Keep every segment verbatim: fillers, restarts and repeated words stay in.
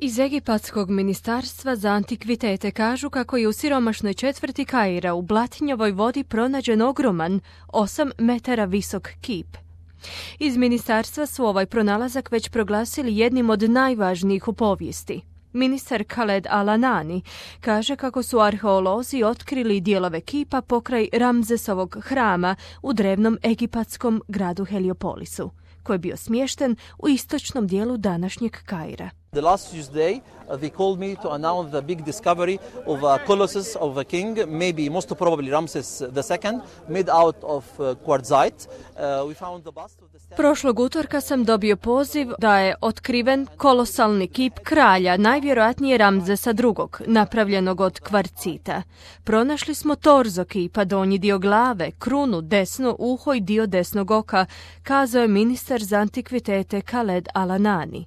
Iz Egipatskog ministarstva za antikvitete kažu kako je u siromašnoj četvrti Kaira u Blatinjevoj vodi pronađen ogroman, osam metara visok kip. Iz ministarstva su ovaj pronalazak već proglasili jednim od najvažnijih u povijesti. Ministar Khaled Al-Anani kaže kako su arheolozi otkrili dijelove kipa pokraj Ramzesovog hrama u drevnom egipatskom gradu Heliopolisu, koji je bio smješten u istočnom dijelu današnjeg Kaira. The last Tuesday, uh, they called me to announce the big discovery of a colossus of a king, maybe most probably Ramses the second, made out of uh, quartzite. Uh, we found the bust of the statue. Prošlog utorka sam dobio poziv da je otkriven kolosalni kip kralja, najvjerojatnije Ramzesa drugog, napravljenog od kvarcita. Pronašli smo torzo kipa, donji dio glave, krunu, desno uho i dio desnog oka, kazao je ministar za antikvitete Khaled Al-Anani,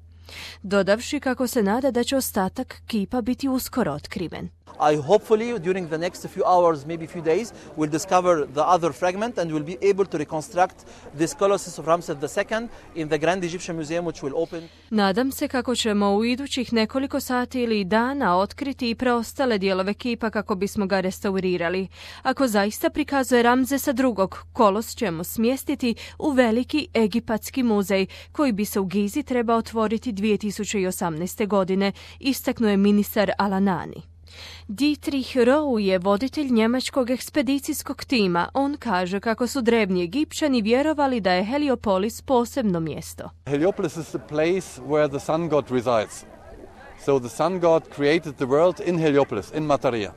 dodavši kako se nada da će ostatak kipa biti uskoro otkriven. I hopefully during the next few hours, maybe few days, will discover the other fragment and will be able to reconstruct this colossus of Ramses the second in the Grand Egyptian Museum which will open. Nadam se kako ćemo u idućih nekoliko sati ili dana otkriti i preostale dijelove kipa kako bismo ga restaurirali. Ako zaista prikazuje Ramzesa drugog, kolos ćemo smjestiti u veliki egipatski muzej koji bi se u Gizi trebao otvoriti dvije tisuće osamnaeste. godine, istaknuo je ministar Al-Anani. Dietrich Roux je voditelj njemačkog ekspedicijskog tima. On kaže kako su drevni Egipćani vjerovali da je Heliopolis posebno mjesto. Heliopolis is the place where the sun god resides. So the sun god created the world in Heliopolis, in Mataria.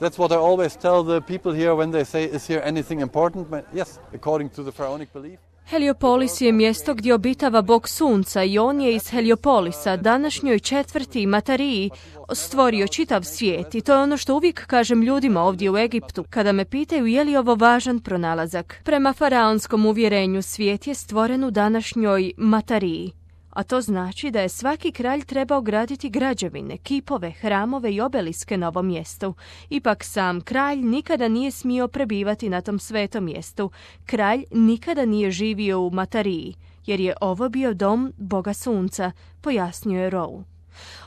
That's what I always tell the people here when they say, is here anything important? Yes, according to the pharaonic belief. Heliopolis je mjesto gdje obitava bog sunca i on je iz Heliopolisa, današnjoj četvrti Matariji, stvorio čitav svijet i to je ono što uvijek kažem ljudima ovdje u Egiptu kada me pitaju je li ovo važan pronalazak. Prema faraonskom uvjerenju svijet je stvoren u današnjoj Matariji, a to znači da je svaki kralj trebao graditi građevine, kipove, hramove i obeliske na ovom mjestu. Ipak sam kralj nikada nije smio prebivati na tom svetom mjestu. Kralj nikada nije živio u Matariji, jer je ovo bio dom boga sunca, pojasnio je Roux.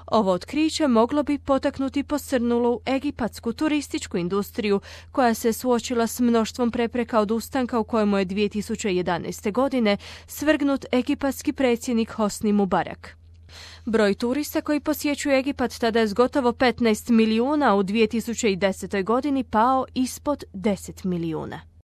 Ovo otkriće moglo bi potaknuti posrnulu egipatsku turističku industriju koja se suočila s mnoštvom prepreka od ustanka u kojemu je dvije tisuće jedanaeste. godine svrgnut egipatski predsjednik Hosni Mubarak. Broj turista koji posjećuju Egipat tada je s gotovo petnaest milijuna u dvije tisuće desetoj. godini pao ispod deset milijuna.